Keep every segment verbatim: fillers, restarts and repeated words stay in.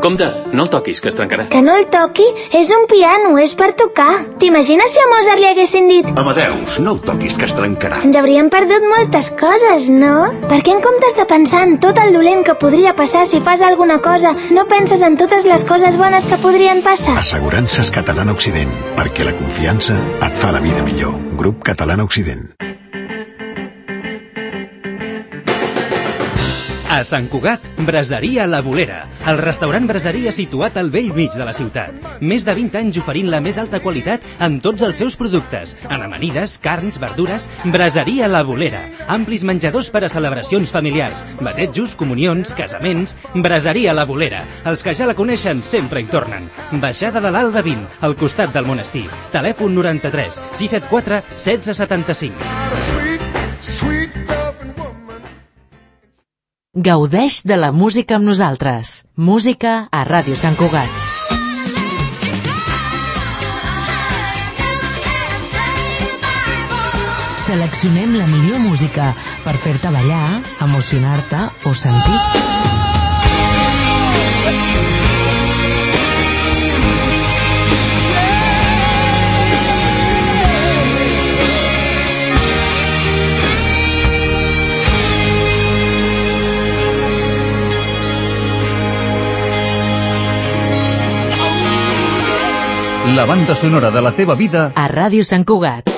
Compte, no el toquis, que es trencarà. Que no el toqui? És un piano, és per tocar. T'imagines si a Mozart li haguessin dit Amadeus, no el toquis, que es trencarà? Ens hauríem perdut moltes coses, no? Perquè en comptes de pensar en tot el dolent que podria passar si fas alguna cosa, no penses en totes les coses bones que podrien passar? Assegurances Catalana Occident, perquè la confiança et fa la vida millor. Grup Catalana Occident. A Sant Cugat, Braseria La Bolera, el restaurant braseria situat al vell mig de la ciutat. Més de vint anys oferint la més alta qualitat en tots els seus productes. En amanides, carns, verdures, Braseria La Bolera. Amplis menjadors per a celebracions familiars, batejos, comunions, casaments. Braseria La Bolera. Els que ja la coneixen sempre hi tornen. Baixada de l'Alba vint, al costat del monestir. Telèfon noranta-tres sis set quatre setze setanta-cinc. Gaudeix de la música amb nosaltres. Música a Ràdio Sant Cugat. Seleccionem la millor música per fer-te ballar, emocionar-te o sentir. La banda sonora de la teva vida a Ràdio Sant Cugat.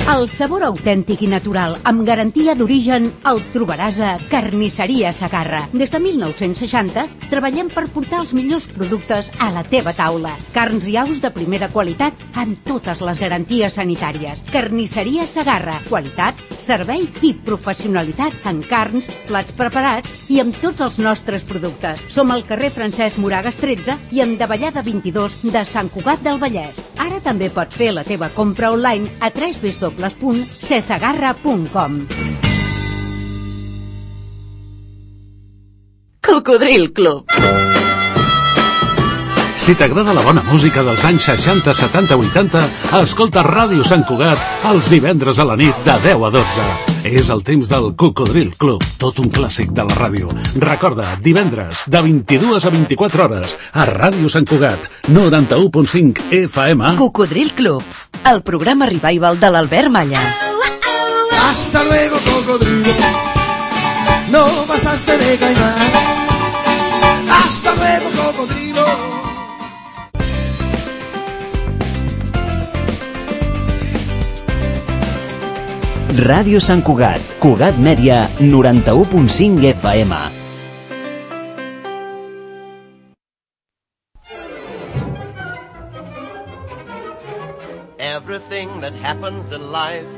El sabor autèntic i natural, amb garantia d'origen, el trobaràs a Carnisseria Segarra. Des de mil nou-cents seixanta treballem per portar els millors productes a la teva taula. Carns i aus de primera qualitat amb totes les garanties sanitàries. Carnisseria Segarra. Qualitat, servei i professionalitat en carns, plats preparats i amb tots els nostres productes. Som al carrer Francesc Moragas tretze i en Davallada vint-i-dos de Sant Cugat del Vallès. Ara també pots fer la teva compra online a w w w punt sesegarra punt com. Cocodril Club. Si t'agrada la bona música dels anys seixanta, setanta, vuitanta, escolta Ràdio Sant Cugat els divendres a la nit de deu a dotze. És el temps del Cocodril Club, tot un clàssic de la ràdio. Recorda, divendres, de vint-i-dues a vint-i-quatre hores, a Ràdio Sant Cugat, noranta-u punt cinc F M. Cocodril Club, el programa revival de l'Albert Malla. Hasta luego, cocodrilo. No pasaste de caimán. Hasta luego, cocodrilo. Ràdio Sant Cugat, Cugat Mèdia, noranta-u punt cinc F M. Everything that happens in life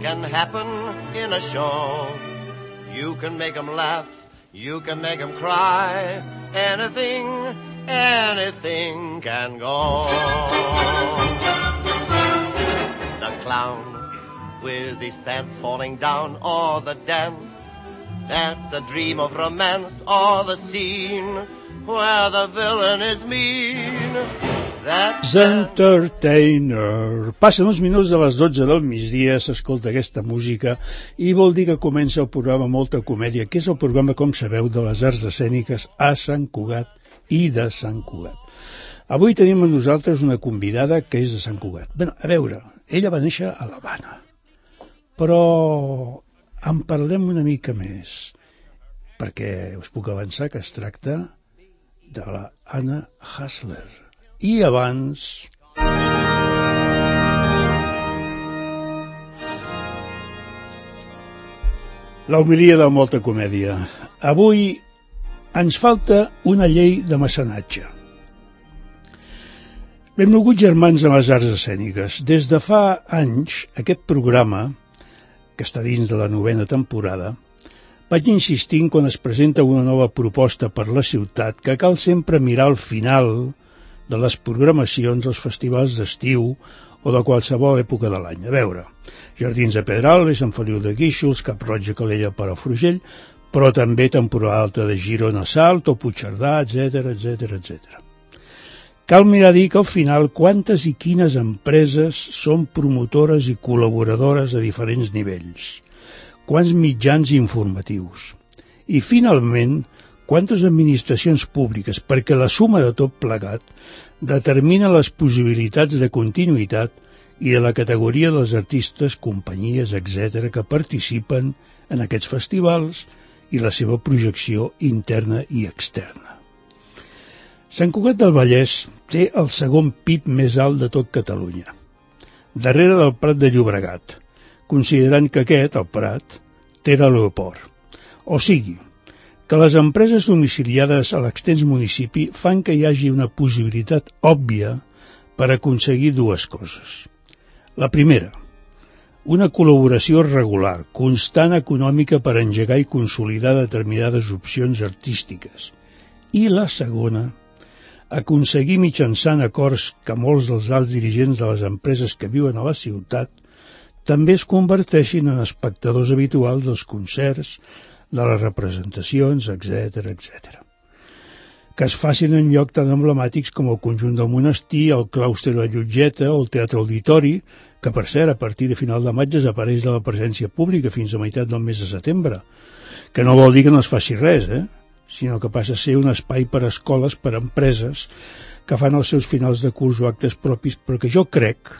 can happen in a show. You can make them laugh, you can make them cry. Anything, anything can go. The clown with his pants falling down, or the dance that's a dream of romance, or the scene where the villain is mean. That's Entertainer. Passen uns minuts de les dotze del migdia, s'escolta aquesta música i vol dir que comença el programa Molta Comèdia, que és el programa, com sabeu, de les arts escèniques a Sant Cugat i de Sant Cugat. Avui tenim amb nosaltres una convidada que és de Sant Cugat. Bé, a veure, ella va néixer a l'Havana, però en parlem una mica més, perquè us puc avançar que es tracta de la Anna Hasler. I abans... la homilia de Molta Comèdia. Avui ens falta una llei de mecenatge. Benvolguts germans de les arts escèniques. Des de fa anys, aquest programa, que està dins de la novena temporada, vaig insistint quan es presenta una nova proposta per la ciutat que cal sempre mirar al final de les programacions dels festivals d'estiu o de qualsevol època de l'any. A veure, Jardins de Pedralbes, Sant Feliu de Guíxols, Cap-roig a Calella per a Frugell, però també temporada alta de Girona a Salt o Puigcerdà, etcètera, etcètera, etcètera. Cal mirar dir que al final quantes i quines empreses són promotores i col·laboradores a diferents nivells, quants mitjans informatius, i finalment quantes administracions públiques, perquè la suma de tot plegat determina les possibilitats de continuïtat i de la categoria dels artistes, companyies, etcètera, que participen en aquests festivals i la seva projecció interna i externa. Sant Cugat del Vallès té el segon P I B més alt de tot Catalunya, darrere del Prat de Llobregat, considerant que aquest, el Prat, té l'aeroport. O sigui, que les empreses domiciliades a l'extens municipi fan que hi hagi una possibilitat òbvia per aconseguir dues coses. La primera, una col·laboració regular, constant econòmica per engegar i consolidar determinades opcions artístiques. I la segona, aconseguir mitjançant acords que molts dels alts dirigents de les empreses que viuen a la ciutat també es converteixin en espectadors habituals dels concerts, de les representacions, etcètera, etcètera. Que es facin en llocs tan emblemàtics com el Conjunt del Monestir, el Claustre de la Llotgeta o el Teatre Auditori, que per cert, a partir de final de maig desapareix de la presència pública fins a meitat del mes de setembre, que no vol dir que no es faci res, eh? sinó que passa a ser un espai per a escoles, per a empreses, que fan els seus finals de curs o actes propis, però que jo crec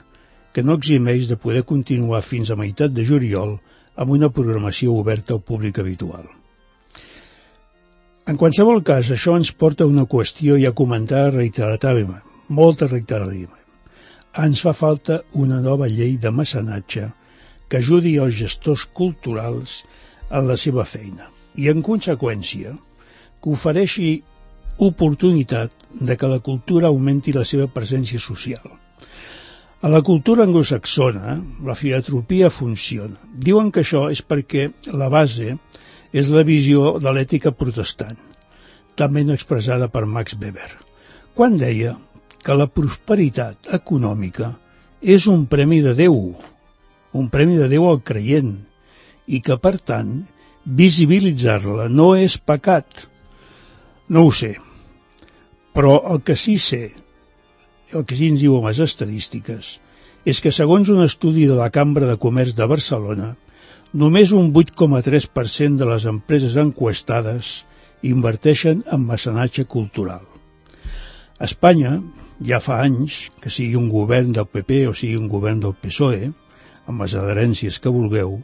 que no eximeix de poder continuar fins a meitat de juliol amb una programació oberta al públic habitual. En qualsevol cas, això ens porta a una qüestió ja comentada reiteradament, molt reiteradament. Ens fa falta una nova llei de mecenatge que ajudi els gestors culturals en la seva feina i, en conseqüència, que ofereixi oportunitat de que la cultura augmenti la seva presència social. A la cultura anglosaxona, la filantropia funciona. Diuen que això és perquè la base és la visió de l'ètica protestant, també expressada per Max Weber, quan deia que la prosperitat econòmica és un premi de Déu, un premi de Déu al creient, i que, per tant, visibilitzar-la no és pecat. No ho sé, però el que sí sé, el que sí ens diuen les estadístiques, és que segons un estudi de la Cambra de Comerç de Barcelona, només un vuit coma tres per cent de les empreses enquestades inverteixen en mecenatge cultural. A Espanya, ja fa anys, que sigui un govern del P P o sigui un govern del P S O E, amb les adherències que vulgueu,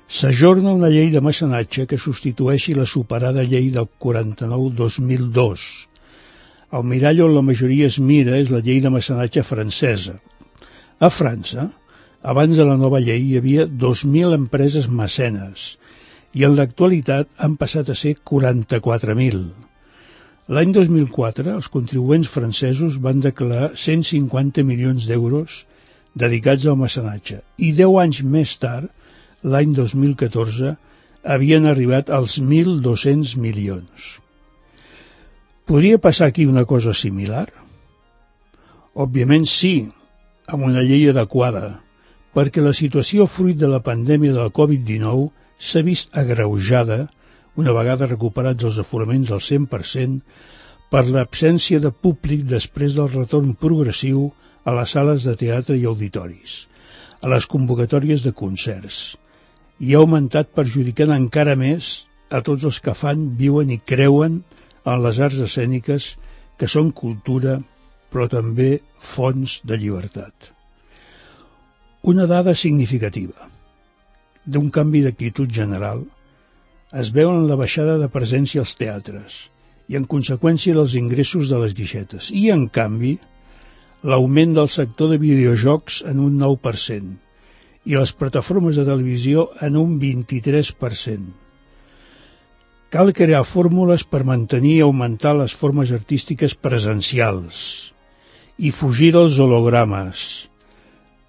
s'ajorna una llei de mecenatge que substitueixi la superada llei del quaranta-nou dos mil dos. El mirall on la majoria es mira és la llei de mecenatge francesa. A França, abans de la nova llei, hi havia dos mil empreses mecenes i en l'actualitat han passat a ser quaranta-quatre mil. L'any dos mil quatre, els contribuents francesos van declarar cent cinquanta milions d'euros dedicats al mecenatge i deu anys més tard, l'any dos mil catorze, havien arribat als mil dos-cents milions. Podria passar aquí una cosa similar? Òbviament sí, amb una llei adequada, perquè la situació fruit de la pandèmia de la covid dinou s'ha vist agreujada, una vegada recuperats els aforaments al cent per cent, per l'absència de públic després del retorn progressiu a les sales de teatre i auditoris, a les convocatòries de concerts, i ha augmentat perjudicant encara més a tots els que fan, viuen i creuen en les arts escèniques, que són cultura, però també fonts de llibertat. Una dada significativa d'un canvi d'actitud general es veu en la baixada de presència als teatres i en conseqüència dels ingressos de les guixetes i, en canvi, l'augment del sector de videojocs en un nou per cent i les plataformes de televisió en un vint-i-tres per cent. Cal crear fórmules per mantenir i augmentar les formes artístiques presencials i fugir dels hologrames,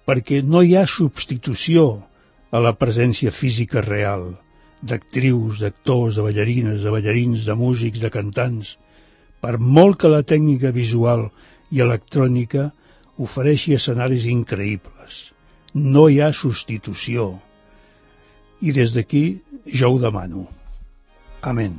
perquè no hi ha substitució a la presència física real d'actrius, d'actors, de ballarines, de ballarins, de músics, de cantants, per molt que la tècnica visual i electrònica ofereixi escenaris increïbles. No hi ha substitució. I des d'aquí jo ho demano. Amén.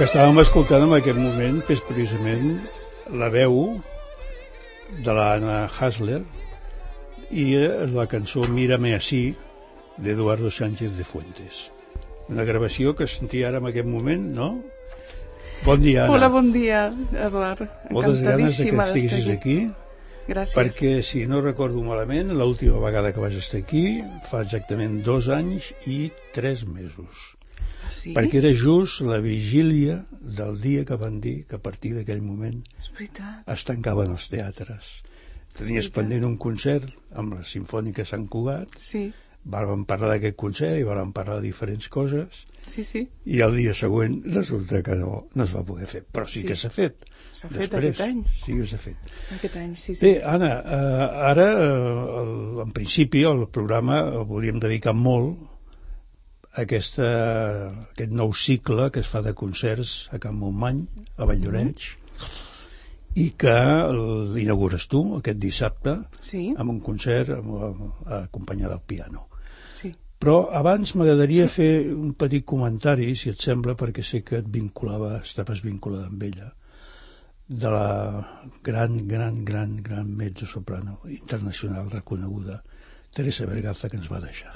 que estàvem escoltant en aquest moment és precisament la veu de l'Anna Hasler i la cançó Mírame así d'Eduardo Sánchez de Fuentes. Una gravació que sentia ara en aquest moment, no? Bon dia, Anna. Hola, bon dia, Eduard. Moltes ganes de que estiguis aquí. Gràcies. Perquè, si no recordo malament, l'última vegada que vas estar aquí fa exactament dos anys i tres mesos. Sí? Perquè era just la vigília del dia que van dir que a partir d'aquell moment es tancaven els teatres. Tenies pendent un concert amb la Simfònica Sant Cugat, sí. Vam parlar d'aquest concert i vam parlar de diferents coses, sí, sí. I el dia següent resulta que no, no es va poder fer, però sí, sí. que s'ha fet. S'ha fet Després, aquest any. Sí que s'ha fet. Aquest any, sí, sí. Bé, Anna, eh, ara, eh, el, en principi, el programa el volíem dedicar molt Aquesta, aquest nou cicle que es fa de concerts a Can Montmany, a Valldoreix, mm-hmm. i que l'inaugures tu aquest dissabte, sí. amb un concert amb, acompanyat del piano. Sí. Però abans m'agradaria fer un petit comentari, si et sembla, perquè sé que et vinculava, estaves vinculada amb ella, de la gran, gran, gran, gran mezzosoprano internacional reconeguda, Teresa Berganza, que ens va deixar.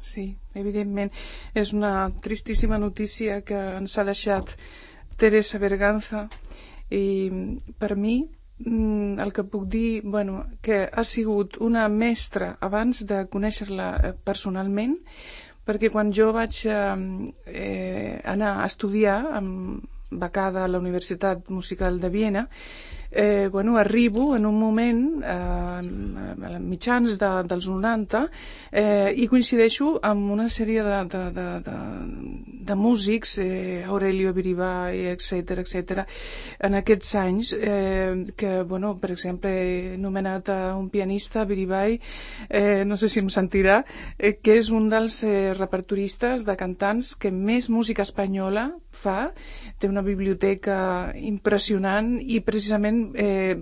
Sí, evidentment. És una tristíssima notícia que ens ha deixat Teresa Berganza i per mi el que puc dir, bueno, que ha sigut una mestra abans de conèixer-la personalment, perquè quan jo vaig eh, anar a estudiar amb becada a la Universitat Musical de Viena, Eh, bueno, arribo en un moment eh, a mitjans de, dels noranta eh, i coincideixo amb una sèrie de, de, de, de, de músics, eh, Aurelio Biribay, etcètera, etcètera, en aquests anys eh, que, bueno, per exemple, he nomenat a un pianista, Biribay, eh, no sé si em sentirà, eh, que és un dels eh, repertoristes de cantants que més música espanyola fa, té una biblioteca impressionant i precisament Eh,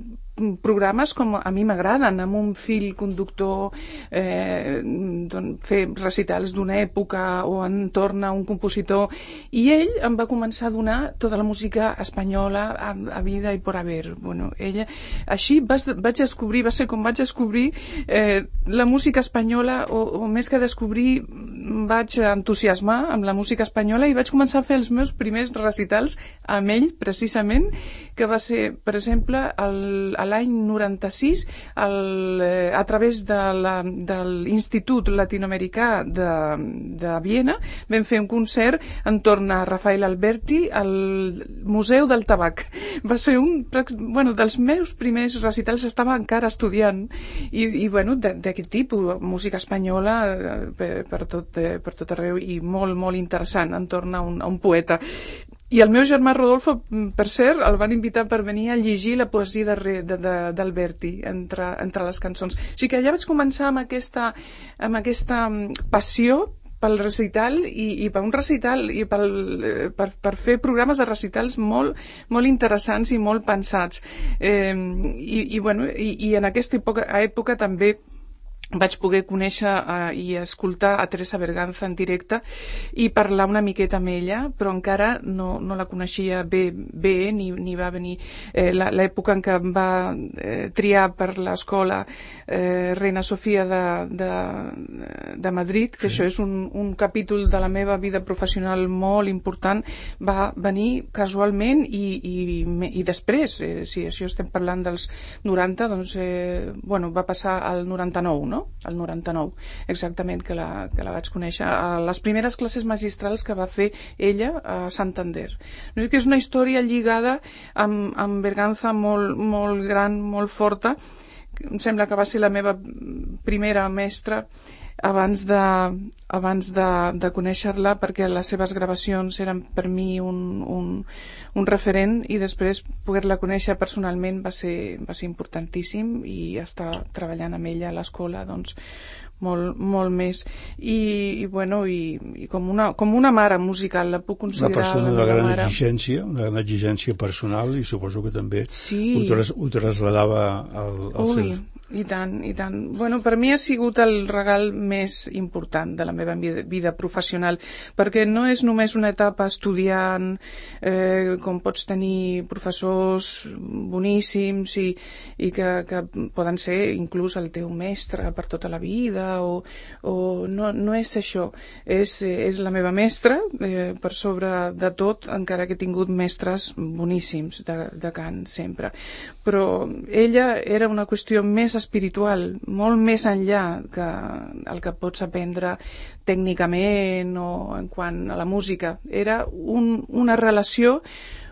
programes com a mi m'agraden, amb un fill conductor, eh, fer recitals d'una època o entorn a un compositor, i ell em va començar a donar tota la música espanyola a, a vida i por haver. Bueno, ella, així vas, vaig descobrir, va ser com vaig descobrir eh, la música espanyola, o, o més que descobrir, vaig entusiasmar amb la música espanyola i vaig començar a fer els meus primers recitals amb ell, precisament, que va ser, per exemple, el, l'any noranta-sis, el, eh, a través de la, de l'Institut Latinoamericà de, de Viena, vam fer un concert entorn a Rafael Alberti al Museu del Tabac. Va ser un bueno, dels meus primers recitals, estava encara estudiant, i, i bueno, d'aquest tipus, música espanyola per, per, tot, per tot arreu, i molt, molt interessant entorn a un, a un poeta. I el meu germà Rodolfo, per cert, el van invitar per venir a llegir la poesia d'Alberti entre, entre les cançons. O sigui que ja vaig començar amb aquesta, amb aquesta passió pel recital i, i per un recital i pel, per, per fer programes de recitals molt, molt interessants i molt pensats. Eh, i, i, bueno, i, i en aquesta època, època també vaig poder conèixer uh, i escoltar a Teresa Berganza en directe i parlar una miqueta amb ella, però encara no, no la coneixia bé, bé ni, ni va venir eh, l'època en què em va eh, triar per l'escola eh, Reina Sofia de, de, de Madrid, que sí. Això és un, un capítol de la meva vida professional molt important, va venir casualment i, i, i després, eh, si això estem parlant dels noranta, doncs eh, bueno, va passar al noranta-nou, no? El noranta-nou, exactament, que la, que la vaig conèixer a les primeres classes magistrals que va fer ella a Santander. És que és una història lligada amb, amb Berganza molt, molt gran, molt forta. Em sembla que va ser la meva primera mestra abans de, abans de, de conèixer-la, perquè les seves gravacions eren per mi un, un, un referent, i després poder-la conèixer personalment va ser, va ser importantíssim, i estar treballant amb ella a l'escola doncs molt, molt més, i, i bueno i, i com, una, com una mare musical, la puc considerar una persona de gran mare. exigència, una gran exigència personal, i suposo que també sí. ho, tras, ho trasladava al, al, seu, I tant, i tant. Bueno, per mi ha sigut el regal més important de la meva vida, vida professional, perquè no és només una etapa estudiant, eh, com pots tenir professors boníssims i, i que, que poden ser inclús el teu mestre per tota la vida, o, o no, no és això. És, és la meva mestra, eh, per sobre de tot, encara que he tingut mestres boníssims de, de cant sempre. Però ella era una qüestió més espiritual, molt més enllà que el que pots aprendre tècnicament o en quant a la música. Era un, una relació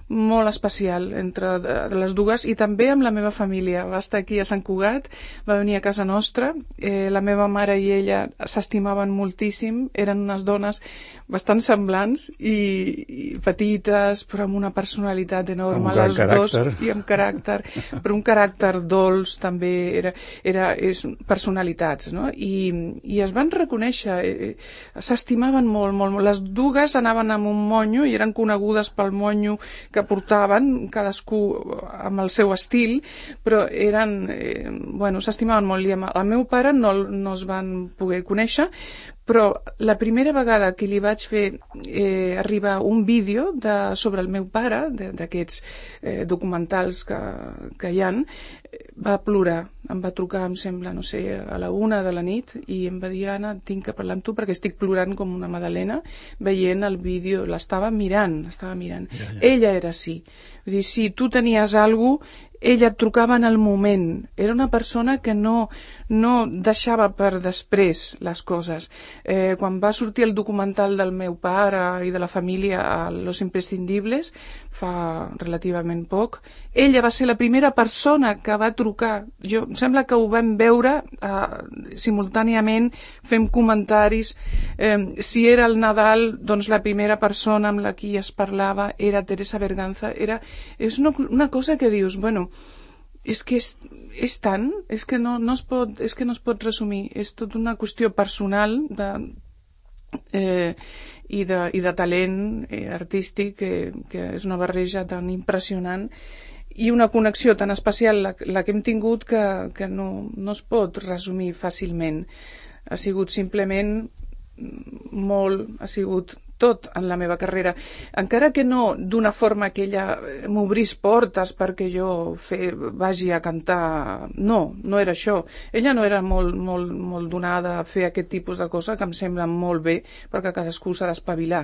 molt especial entre les dues, i també amb la meva família. Va estar aquí a Sant Cugat, va venir a casa nostra, eh, la meva mare i ella s'estimaven moltíssim, eren unes dones bastant semblants i, i petites, però amb una personalitat enorme, les dos, i amb caràcter, però un caràcter dolç també, era, era és personalitats, no? I, i es van reconèixer, eh, s'estimaven molt, molt, molt. Les dues anaven amb un monyo i eren conegudes pel monyo que portaven, cadascú amb el seu estil, però eren, eh, bueno, s'estimaven molt. I amb el meu pare no, no es van poder conèixer, però la primera vegada que li vaig fer eh, arribar un vídeo de, sobre el meu pare, d'aquests eh, documentals que, que hi ha, va plorar. Em va trucar, em sembla, no sé, a la una de la nit, i em va dir, Anna, tinc que parlar amb tu perquè estic plorant com una madalena veient el vídeo. L'estava mirant, l'estava mirant. Ja, ja. Ella era així. Vull dir, si tu tenies alguna cosa, ella et trucava en el moment. Era una persona que no, no deixava per després les coses. Eh, quan va sortir el documental del meu pare i de la família a Los Imprescindibles, fa relativament poc, ella va ser la primera persona que va trucar. Jo, em sembla que ho vam veure eh, simultàniament, fem comentaris. Eh, si era el Nadal, doncs la primera persona amb la qui es parlava era Teresa Berganza. Era, és una, una cosa que dius, bueno, és que és, és tant, és que no, no es pot, és que no es pot resumir, és tot una qüestió personal de, eh, i, de, i de talent eh, artístic, que, que és una barreja tan impressionant i una connexió tan especial la, la que hem tingut que, que no, no es pot resumir fàcilment. Ha sigut simplement molt, ha sigut tot en la meva carrera, encara que no d'una forma que ella m'obrís portes perquè jo fe, vagi a cantar. No, no era això. Ella no era molt, molt, molt donada a fer aquest tipus de cosa, que em sembla molt bé, perquè cadascú s'ha d'espavilar.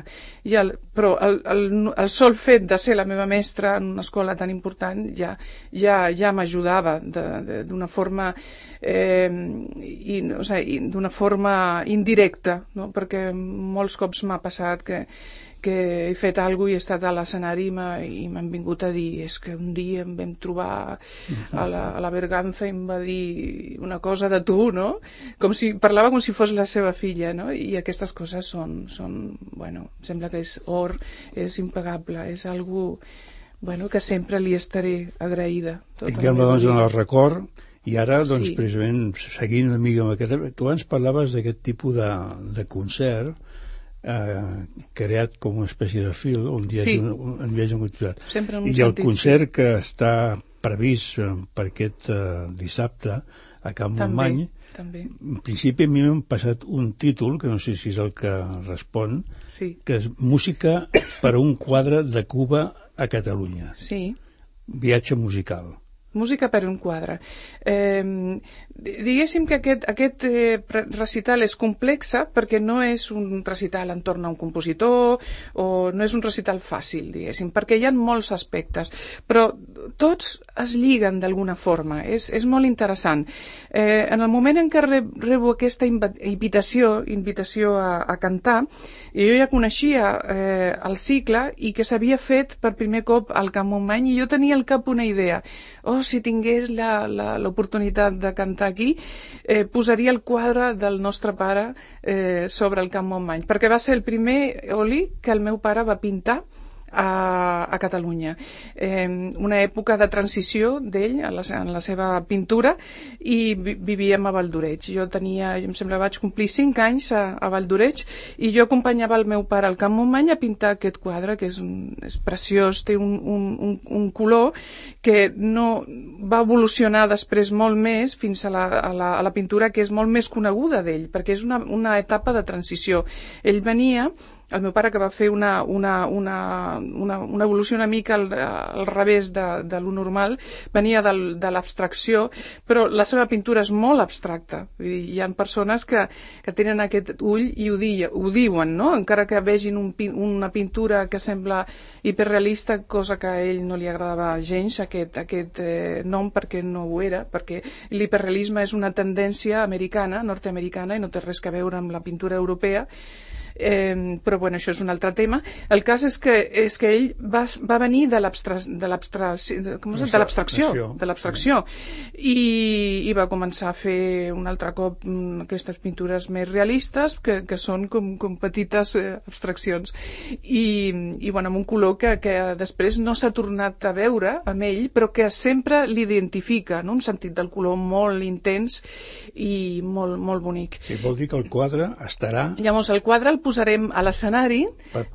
El, però el, el, el sol fet de ser la meva mestra en una escola tan important ja, ja, ja m'ajudava d'una forma eh, i, o sigui, d'una forma indirecta, no? Perquè molts cops m'ha passat que, que he fet alguna cosa i he estat a l'escenari i m'han vingut a dir, és que un dia em vam trobar a la, a la Berganza i em va dir una cosa de tu, no? Com si, parlava com si fos la seva filla, no? I aquestes coses són, són bueno, sembla que és or, és impagable, és algo, bueno, que sempre li estaré agraïda. Tinguem-la doncs en el record. I ara, doncs, sí. Precisament, seguint una mica amb aquest... Tu abans parlaves d'aquest tipus de, de concert eh, creat com una espècie de fil, on hi ha sí. un, un, un viatge en concert. Sempre en un I sentit, el concert sí. que està previst eh, per aquest eh, dissabte a Can Montmany, també. En principi a mi m'han passat un títol, que no sé si és el que respon, sí. que és Música per a un quadre de Cuba a Catalunya. Sí. Viatge musical. Música per un quadre. Eh, diguéssim que aquest, aquest eh, recital és complexa perquè no és un recital entorn a un compositor o no és un recital fàcil, diguéssim, perquè hi ha molts aspectes, però tots es lliguen d'alguna forma, és, és molt interessant. Eh, en el moment en què rebo aquesta invitació, invitació a, a cantar, jo ja coneixia eh, el cicle i que s'havia fet per primer cop al Can Montmany i jo tenia al cap una idea. Oh, si tingués l'oportunitat de cantar aquí, eh, posaria el quadre del nostre pare eh, sobre el Can Montmany, perquè va ser el primer oli que el meu pare va pintar a, a Catalunya. Eh, una època de transició d'ell en, en la seva pintura, i vi, vivíem a Valldoreix. Jo tenia, em sembla, vaig complir cinc anys a, a Valldoreix, i jo acompanyava el meu pare al Camp Montmany a pintar aquest quadre, que és, un, és preciós, té un, un, un, un color que no va evolucionar després molt més fins a la, a la, a la pintura que és molt més coneguda d'ell, perquè és una, una etapa de transició. Ell venia, el meu pare, que va fer una, una, una, una, una evolució una mica al, al revés de, de lo normal, venia del, de l'abstracció, però la seva pintura és molt abstracta. Vull dir, hi ha persones que, que tenen aquest ull i ho, di, ho diuen, no? Encara que vegin un, una pintura que sembla hiperrealista, cosa que a ell no li agradava gens, aquest, aquest eh, nom, perquè no ho era, perquè l'hiperrealisme és una tendència americana, nord-americana, i no té res a veure amb la pintura europea. Eh, però bueno, això és un altre tema. El cas és que, és que ell va, va venir de l'abstracció de l'abstracció de l'abstracció i, i va començar a fer un altre cop aquestes pintures més realistes, que, que són com, com petites eh, abstraccions, i, i bueno, amb un color que, que després no s'ha tornat a veure amb ell, però que sempre l'identifica, no? Un sentit del color molt intens i molt, molt bonic. Sí, vol dir que el quadre estarà... Llavors, el quadre el posarem a l'escenari.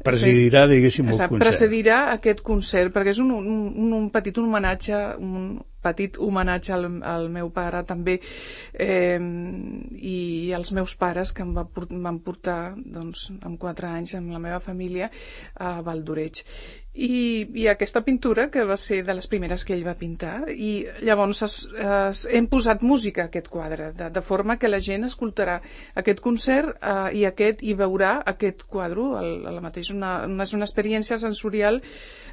Presidirà, diguéssim, el concert. Presidirà aquest concert, perquè és un, un, un petit homenatge, un petit homenatge al, al meu pare també, eh, i als meus pares, que em va, van portar doncs, amb quatre anys amb la meva família a Valldoreix. I, i aquesta pintura, que va ser de les primeres que ell va pintar, i llavors es, es, hem posat música a aquest quadre, de, de forma que la gent escoltarà aquest concert eh, i aquest i veurà aquest quadre, el, el mateix, una, una, una experiència sensorial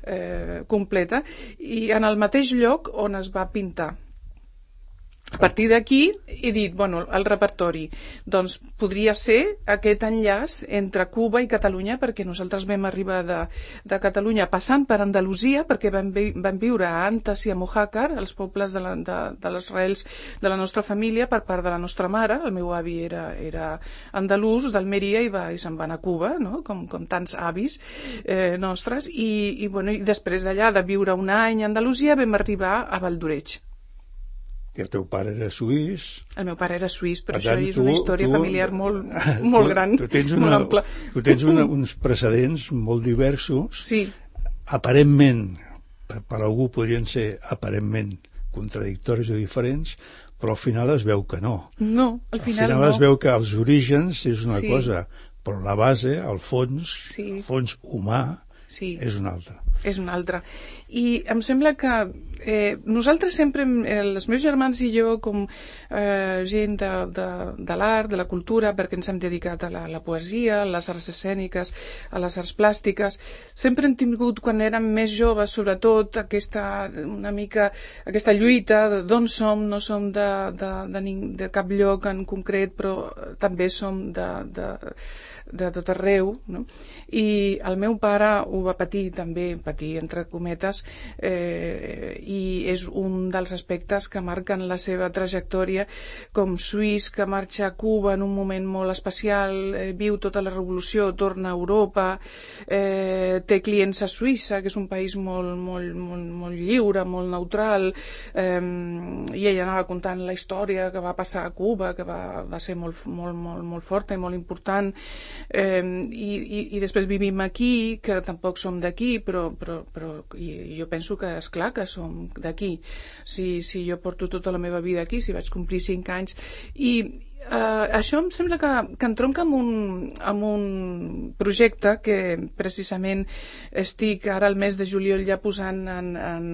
eh, completa, i en el mateix lloc on es va pintar. A partir d'aquí he dit, bueno, el repertori, doncs podria ser aquest enllaç entre Cuba i Catalunya, perquè nosaltres vam arribar de, de Catalunya passant per Andalusia, perquè vam, vi, vam viure a Antas i a Mojácar, els pobles de, la, de, de les arrels de la nostra família per part de la nostra mare. El meu avi era, era andalús, d'Almeria, i, va, i se'n va anar a Cuba, no? com, com tants avis eh, nostres, i, i, bueno, i després d'allà, de viure un any a Andalusia, vam arribar a Valldoreix. Que el teu pare era suís. El meu pare era suís, però Per tant, això és tu, una història tu, familiar molt, molt tu, gran, tu tens una, molt ampla. Tu tens una, uns precedents molt diversos. Sí. Aparentment, per, per algú podrien ser aparentment contradictoris o diferents, però al final es veu que no. No, al final, al final no. es veu que els orígens és una sí. cosa, però la base, el fons, sí. el fons humà, sí. és una altra. És una altra. I em sembla que eh, nosaltres sempre, eh, els meus germans i jo, com eh, gent de, de, de l'art, de la cultura, perquè ens hem dedicat a la, la poesia, a les arts escèniques, a les arts plàstiques, sempre hem tingut, quan érem més joves, sobretot, aquesta, una mica, aquesta lluita d'on som, no som de, de, de, de cap lloc en concret, però també som de... de de tot arreu, no? I el meu pare ho va patir també, patir entre cometes, eh, i és un dels aspectes que marquen la seva trajectòria com suís, que marxa a Cuba en un moment molt especial, eh, viu tota la revolució, torna a Europa, eh, té clients a Suïssa, que és un país molt, molt, molt, molt lliure, molt neutral, eh, i ella anava contant la història que va passar a Cuba, que va, va ser molt, molt, molt, molt forta i molt important. Eh, i, i, i després vivim aquí, que tampoc som d'aquí, però, però, però jo penso que és clar que som d'aquí. Si, si jo porto tota la meva vida aquí, si vaig complir cinc anys, i Uh, això em sembla que, que entronca amb un, amb un projecte que precisament estic ara al mes de juliol ja posant en, en,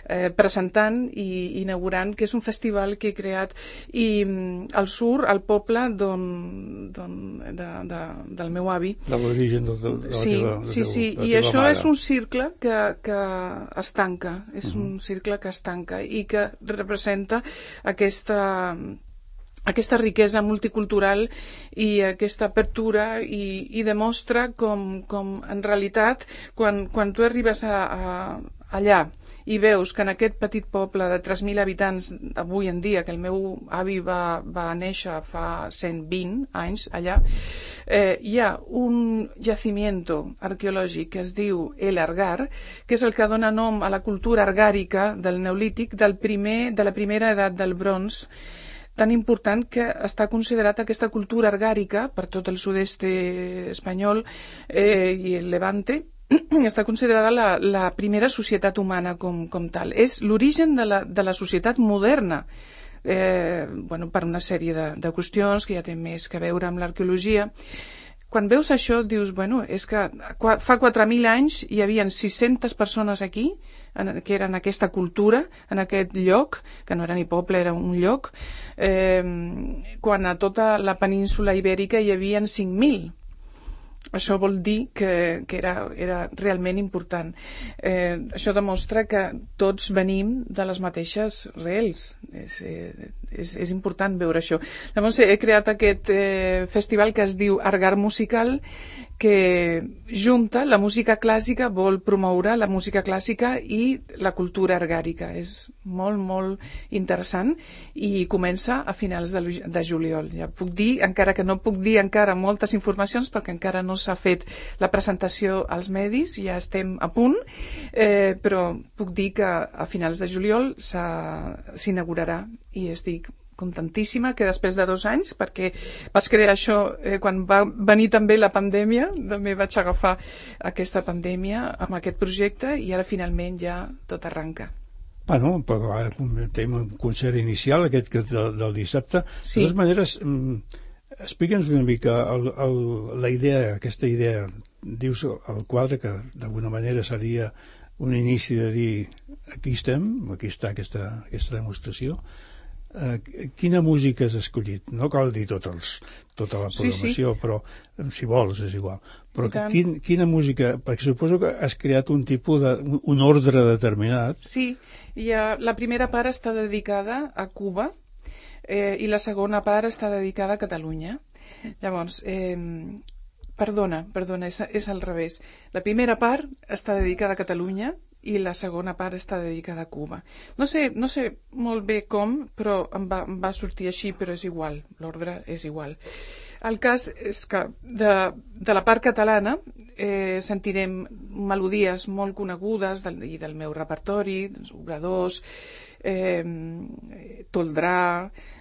eh, presentant i inaugurant, que és un festival que he creat i mm, al sur, al poble d'on, d'on, de, de, del meu avi, de l'origen de, de, de sí, la teva, de sí, sí, de la i teva això mare. És un cicle que, que es tanca, és uh-huh. un cicle que es tanca i que representa aquesta aquesta riquesa multicultural i aquesta apertura i, i demostra com, com en realitat quan, quan tu arribes a, a, allà i veus que en aquest petit poble de tres mil habitants avui en dia, que el meu avi va, va néixer fa cent vint anys allà, eh, hi ha un yacimiento arqueològic que es diu El Argar, que és el que dona nom a la cultura argàrica del Neolític del primer, de la primera edat del bronze, tan important que està considerat aquesta cultura argàrica per tot el sud-est espanyol eh, i el Levante, està considerada la, la primera societat humana com, com tal. És l'origen de, la, de la societat moderna, eh, bueno, per una sèrie de, de qüestions que ja té més que veure amb l'arqueologia. Quan veus això dius, bueno, és que fa quatre mil anys hi havia sis-centes persones aquí, que eren aquesta cultura, en aquest lloc, que no era ni poble, era un lloc, eh, quan a tota la península ibèrica hi havia cinc mil. Això vol dir que, que era, era realment important. Eh, això demostra que tots venim de les mateixes rels. És, és, és important veure això. Llavors he creat aquest eh, festival que es diu Argar Musical, que junta la música clàssica, vol promoure la música clàssica i la cultura argàrica. És molt, molt interessant i comença a finals de, de juliol. Ja puc dir, encara que no puc dir encara moltes informacions perquè encara no s'ha fet la presentació als medis, ja estem a punt, eh, però puc dir que a finals de juliol s'inaugurarà i estic contentíssima que després de dos anys, perquè vaig crear això eh, quan va venir també la pandèmia, també vaig agafar aquesta pandèmia amb aquest projecte i ara finalment ja tot arranca. Bueno, però ara tenim un concert inicial aquest del, del dissabte. Sí. De totes maneres, explica'ns una mica el, el, la idea, aquesta idea, dius el quadre que d'alguna manera seria un inici de dir aquí estem, aquí està aquesta, aquesta demostració. Uh, quina música has escollit? No cal dir tot els, tota la programació, sí, sí. Però si vols és igual. Però quin, quina música? Perquè suposo que has creat un tipus de, un ordre determinat. Sí, i ha, la primera part està dedicada a Cuba eh, i la segona part està dedicada a Catalunya. Llavors, eh, perdona, perdona, és, és al revés. La primera part està dedicada a Catalunya i la segona part està dedicada a Cuba. No sé, no sé molt bé com, però em va, em va sortir així, però és igual, l'ordre és igual. El cas és que de, de la part catalana eh, sentirem melodies molt conegudes del, i del meu repertori, dels obradors, eh, Toldrà,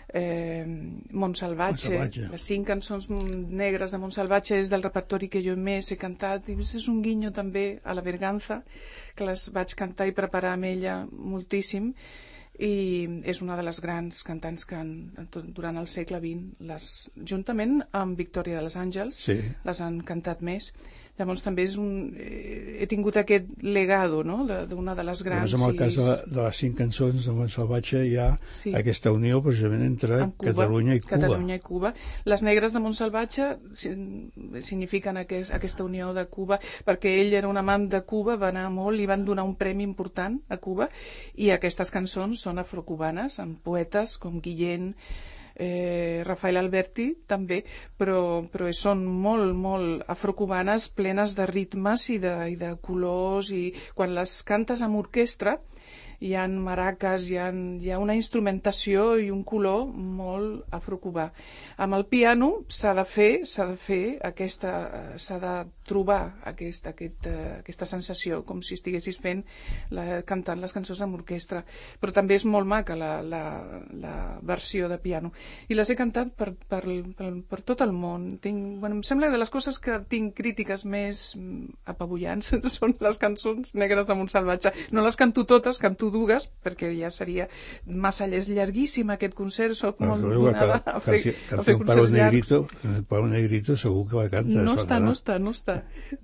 Eh, Montsalvatge, Montsalvatge, les cinc cançons negres de Montsalvatge és del repertori que jo més he cantat i és un guinyo també a la Berganza, que les vaig cantar i preparar amb ella moltíssim i és una de les grans cantants que han, durant el segle vint les, juntament amb Victòria de les Àngels, sí, les han cantat més. Llavors també és un, eh, he tingut aquest legado, no?, d'una de, de les grans. Llavors, en el cas de, de les cinc cançons de Montsalvatge hi ha sí. aquesta unió precisament entre Cuba, Catalunya i Cuba. Catalunya i Cuba. Les negres de Montsalvatge signifiquen aquest, aquesta unió de Cuba, perquè ell era un amant de Cuba, va anar molt i van donar un premi important a Cuba, i aquestes cançons són afrocubanes, amb poetes com Guillén, Eh, Rafael Alberti també, però, però són molt, molt afrocubanes, plenes de ritmes i de, i de colors, i quan les cantes amb orquestra hi ha maraques, hi ha, hi ha una instrumentació i un color molt afrocubà. Amb el piano s'ha de fer, s'ha de fer aquesta, s'ha de trobar aquesta, aquesta, aquesta sensació, com si estiguessis fent la, cantant les cançons amb orquestra. Però també és molt maca la, la, la versió de piano. I les he cantat per, per, per, per tot el món. Tinc, bueno, em sembla que de les coses que tinc crítiques més apabullants són les cançons negres de Montsalvatge. No les canto totes, canto dues, perquè ja seria massa és llarguíssim aquest concert, soc molt donada a fer, a fer concerts llargs. El Pau Negrito segur que la canta. No està, no està, no està.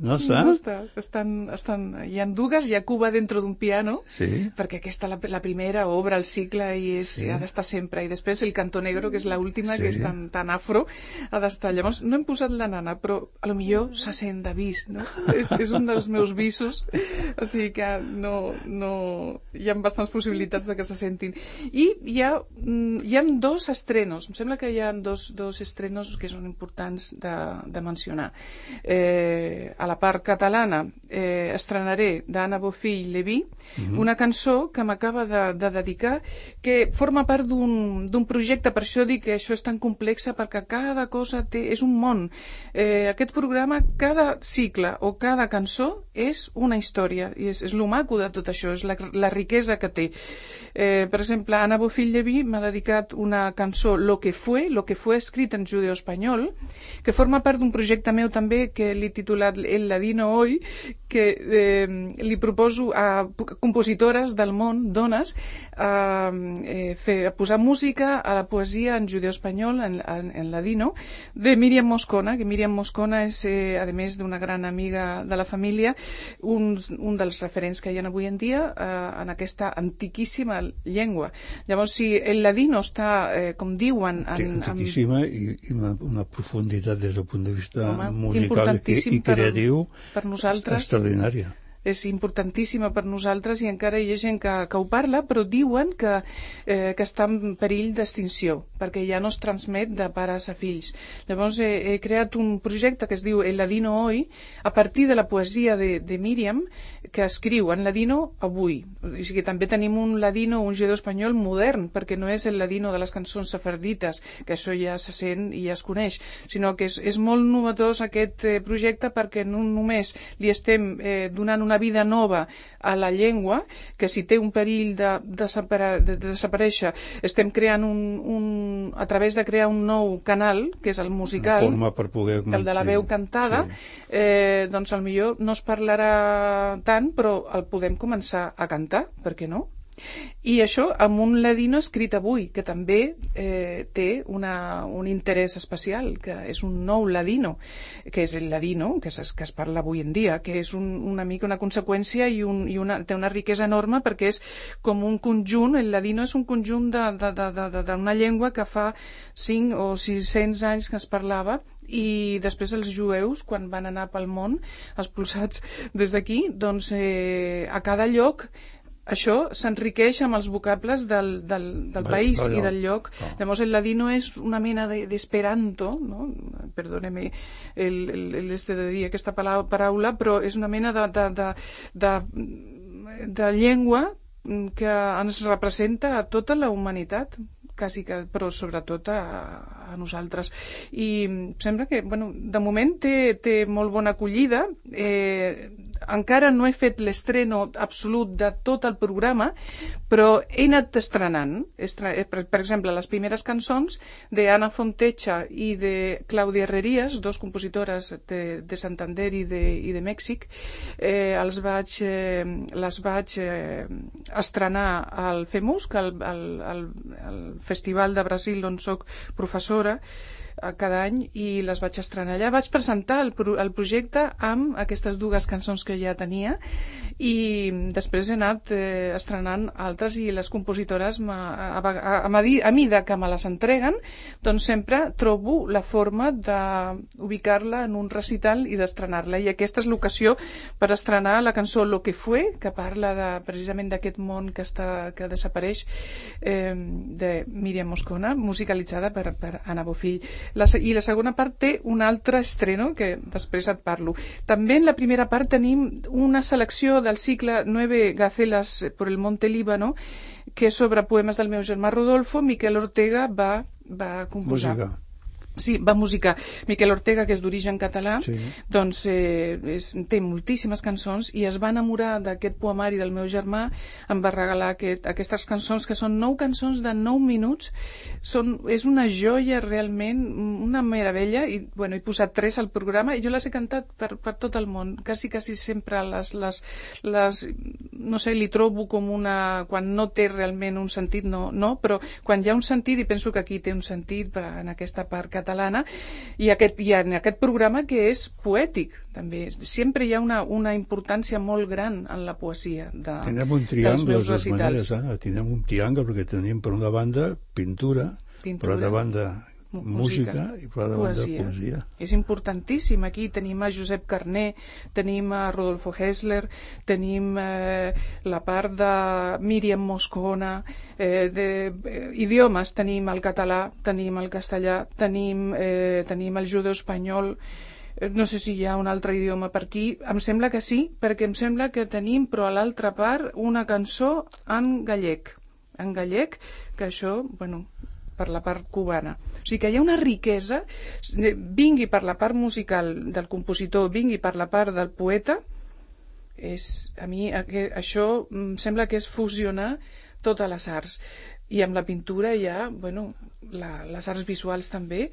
No està? No està. Estan, estan, hi ha dues, hi ha Cuba dentro d'un piano, sí, perquè aquesta, la, la primera, obre el cicle i és, sí, ha d'estar sempre. I després el Canto Negro, que és l'última, sí, que és tan, tan afro, ha d'estar. Llavors, no hem posat la nana, però a lo millor se sent d'avís, no? és, és un dels meus visos, o sigui que no, no, hi ha bastants possibilitats de que se sentin. I hi ha, hi ha dos estrenos, em sembla que hi ha dos, dos estrenos que són importants de, de mencionar. Eh, a la part catalana eh, estrenaré d'Anna Bofill Leví Mhm. una cançó que m'acaba de, de dedicar, que forma part d'un d'un projecte, per això dic que això és tan complexa, perquè cada cosa té, és un món. Eh, aquest programa, cada cicle o cada cançó és una història, i és, és lo maco de tot això, és la, la riquesa que té. Eh, per exemple, Anna Bofill Leví m'ha dedicat una cançó, Lo que fue, Lo que fue escrit en judeo-espanyol, que forma part d'un projecte meu també que l'he titulat El Ladino Hoy, que eh, li proposo a compositores del món, dones, a, eh, fer, a posar música a la poesia en judeo-espanyol, en, en, en ladino, de Míriam Moscona, que Míriam Moscona és, eh, a més d'una gran amiga de la família, un, un dels referents que hi ha avui en dia eh, en aquesta antiquíssima llengua. Llavors, si el ladino està, eh, com diuen... En, antiquíssima en... i, i una, una profunditat des del punt de vista Home, musical i, i creatiu per, per nosaltres, extraordinària. És importantíssima per nosaltres i encara hi ha gent que, que ho parla, però diuen que, eh, que està en perill d'extinció, perquè ja no es transmet de pares a fills. Llavors he, he creat un projecte que es diu El Ladino Hoy, a partir de la poesia de, de Míriam, que escriu en ladino avui. O sigui, també tenim un ladino, un judeu espanyol modern, perquè no és el ladino de les cançons sefardites, que això ja se sent i ja es coneix, sinó que és, és molt novedós aquest eh, projecte, perquè no només li estem eh, donant una vida nova a la llengua, que si té un perill de, de, separa, de, de desaparèixer, estem creant un, un, a través de crear un nou canal, que és el musical, per poder... el de la veu cantada, sí. eh, doncs potser no es parlarà tant, però el podem començar a cantar, per què no? I això amb un ladino escrit avui, que també eh, té una, un interès especial, que és un nou ladino, que és el ladino que es, que es parla avui en dia, que és un, una mica una conseqüència i, un, i una, té una riquesa enorme, perquè és com un conjunt, el ladino és un conjunt d'una llengua que fa cinc o sis-cents anys que es parlava, i després els jueus, quan van anar pel món expulsats des d'aquí, doncs eh, a cada lloc això s'enriqueix amb els vocables del, del, del país i del lloc. Oh. Llavors el ladino és una mena d'esperanto, de, no? Perdóneme el, el, el este de dir aquesta paraula, però és una mena de, de, de, de, de llengua que ens representa a tota la humanitat, quasi que, però sobretot a, a nosaltres. I sembla que, bueno, de moment té, té molt bona acollida. Eh, encara no he fet l'estreno absolut de tot el programa, però he anat estrenant. Per, per exemple, les primeres cançons d'Anna Fontecha i de Clàudia Herrerías, dos compositores de, de Santander i de, i de Mèxic, eh, els vaig, eh, les vaig eh, estrenar al FEMUS, que el, el, el, el Festival de Brasil on soc professora cada any, i les vaig estrenar allà. Vaig presentar el, pro el projecte amb aquestes dues cançons que ja tenia, i després he anat eh, estrenant altres, i les compositores a, a, a, a, a mida que me les entreguen, doncs sempre trobo la forma d'ubicar-la en un recital i d'estrenar-la, i aquesta és l'ocasió per estrenar la cançó Lo que fue, que parla de, precisament d'aquest món que, està, que desapareix, eh, de Míriam Moscona, musicalitzada per, per Anna Bofill. La, I la segona part té un altre estreno que després et parlo. També en la primera part tenim una selecció del cicle Nueve Gacelas por el Monte Líbano, que és sobre poemes del meu germà Rodolfo. Miquel Ortega va, va composar. Música. Sí, va musicar. Miquel Ortega, que és d'origen català, sí. doncs eh, és, té moltíssimes cançons, i es va enamorar d'aquest poemari del meu germà, em va regalar aquest, aquestes cançons, que són nou cançons de nou minuts. Són, és una joia realment, una meravella, i bueno, he posat tres al programa, i jo les he cantat per, per tot el món, quasi, quasi sempre les, les, les, no sé, li trobo com una... quan no té realment un sentit, no, no, però quan hi ha un sentit, i penso que aquí té un sentit per, en aquesta part catalana, i, aquest, i en aquest programa que és poètic també, sempre hi ha una, una importància molt gran en la poesia de, tenim un triangle, de les maneres, eh? Tenim un triangle, perquè tenim per una banda pintura, pintura per altra banda música, música i per altra banda poesia. És importantíssim. Aquí tenim a Josep Carné, tenim a Rodolfo Hessler, tenim eh, la part de Míriam Moscona, eh, de eh, idiomes, tenim el català, tenim el castellà, tenim, eh, tenim el judeu espanyol, no sé si hi ha un altre idioma per aquí, em sembla que sí, perquè em sembla que tenim, però a l'altra part, una cançó en gallec, en gallec, que això, bueno, per la part cubana. O sigui que hi ha una riquesa, vingui per la part musical del compositor, vingui per la part del poeta, és, a mi això em sembla que és fusionar totes les arts. I amb la pintura hi ha, bueno, la, les arts visuals també.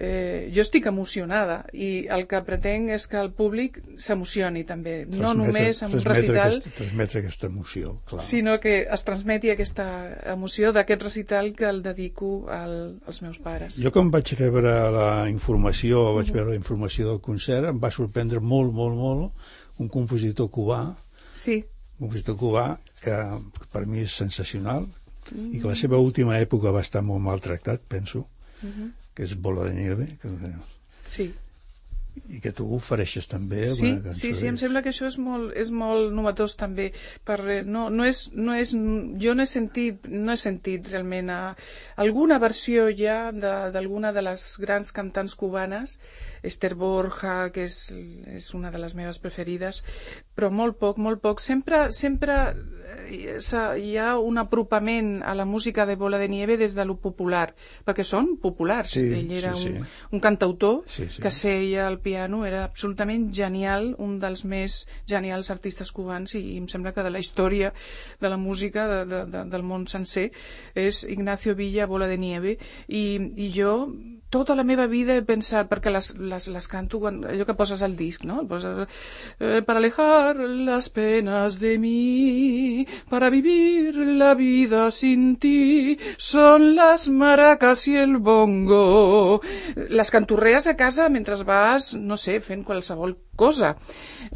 Eh, jo estic emocionada i el que pretenc és que el públic s'emocioni també, no transmetre, només amb un recital, aquest, transmetre aquesta emoció, clar. Sinó que es transmeti aquesta emoció d'aquest recital que el dedico al, als meus pares. Jo quan vaig rebre la informació, vaig uh-huh. veure la informació del concert, em va sorprendre molt, molt, molt un compositor cubà, sí. un compositor cubà que, que per mi és sensacional, uh-huh. i que la seva última època va estar molt maltractat, penso, uh-huh. que és Bola de Nieve, que, sí. i que tu ofereixes també sí, alguna cançó. Sí, sí, em sembla que això és molt, és molt novetós també. Per, no, no és, no és, jo no he sentit, no he sentit realment a, alguna versió ja d'alguna de, de les grans cantants cubanes, Esther Borja, que és, és una de les meves preferides, però molt poc, molt poc. Sempre, sempre hi ha un apropament a la música de Bola de Nieve des de lo popular, perquè són populars. Sí, Ell era sí, sí. Un, un cantautor sí, sí. que seia al piano, era absolutament genial, un dels més genials artistes cubans, i, i em sembla que de la història de la música de, de, de, del món sencer és Ignacio Villa, Bola de Nieve, i, i jo tota la meva vida he pensat, perquè les, les, les canto quan, allò que poses al disc, no? Poses, eh, para alejar las penas de mí, para vivir la vida sin ti, son las maracas y el bongo. Les canturrees a casa mentre vas, no sé, fent qualsevol cosa.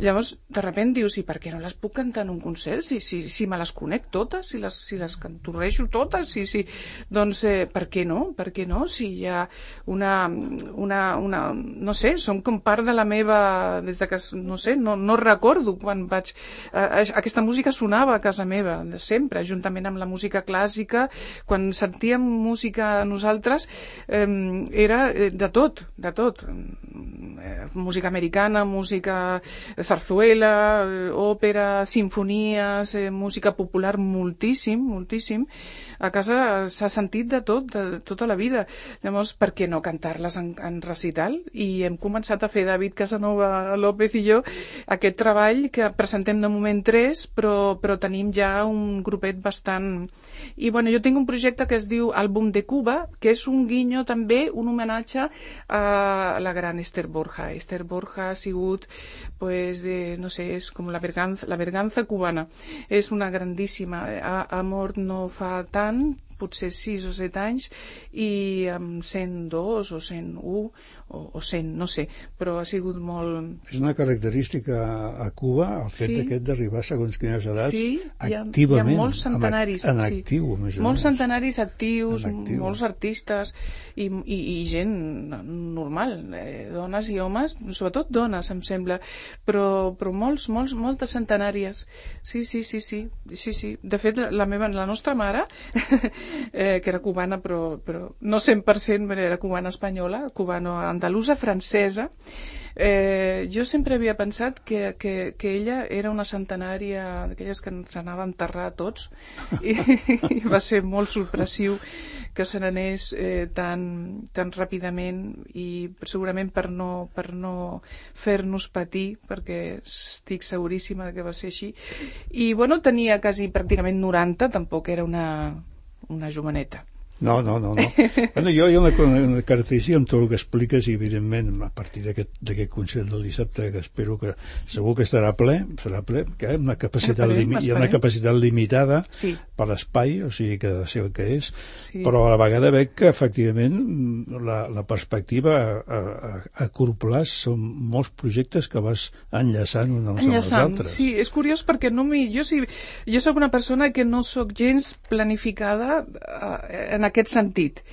Llavors, de sobte dius, i per què no les puc cantar en un concert? Si, si, si me les conec totes, si les, si les canturrejo totes, si, si... doncs eh, per què no? Per què no? Si hi ha una, una, una... no sé, són com part de la meva... des de que, no sé, no, no recordo quan vaig... Eh, aquesta música sonava a casa meva, sempre, juntament amb la música clàssica. Quan sentíem música nosaltres, eh, era de tot, de tot. Eh, música americana, música zarzuela, òpera, sinfonies, eh, música popular, moltíssim, moltíssim. A casa s'ha sentit de tot, de tota la vida. Llavors, per què no cantar-les en, en recital? I hem començat a fer, David Casanova López i jo, aquest treball que presentem de moment tres, però, però tenim ja un grupet bastant... I bueno, jo tinc un projecte que es diu Àlbum de Cuba, que és un guinyo també, un homenatge a la gran Esther Borja. Esther Borja ha sigut, pues, eh, no sé, és com la verganza, la verganza cubana. És una grandíssima. Ha, ha mort no fa tant, potser sis o set anys, i amb cent dos o cent u o, o cent, no sé, però ha sigut molt... És una característica a Cuba el fet sí. aquest d'arribar segons quines edats sí, activament. Hi ha molts centenaris. En actiu, sí. a més a molts més. centenaris actius, actiu. molts artistes i, i, i gent normal, eh, dones i homes, sobretot dones, em sembla, però, però molts, molts, moltes centenàries. Sí, sí, sí, sí. sí, sí. De fet, la, meva, la nostra mare... Eh, que era cubana, però, però no cent per cent, era cubana espanyola, cubano-andalusa, francesa. Eh, jo sempre havia pensat que, que, que ella era una centenària d'aquelles que ens anava a enterrar a tots, i, i va ser molt sorpressiu que se n'anés eh, tan, tan ràpidament, i segurament per no, per no fer-nos patir, perquè estic seguríssima que va ser així. I bueno, tenia quasi pràcticament noranta, tampoc era una una joveneta. No, no, no. no. Bueno, jo hi ha una, una característica amb tot el que expliques, i evidentment a partir d'aquest concert del dissabte, que espero que segur que estarà ple, serà ple, que hi ha una capacitat, esperem, limi, hi ha una capacitat limitada sí. per l'espai, o sigui que ha de ser el que és, sí. però a la vegada veig que efectivament la, la perspectiva a, a, a curt plaç són molts projectes que vas enllaçant uns amb els altres. Sí, és curiós perquè no mi, jo, sí, jo soc una persona que no soc gens planificada en aquest sentit.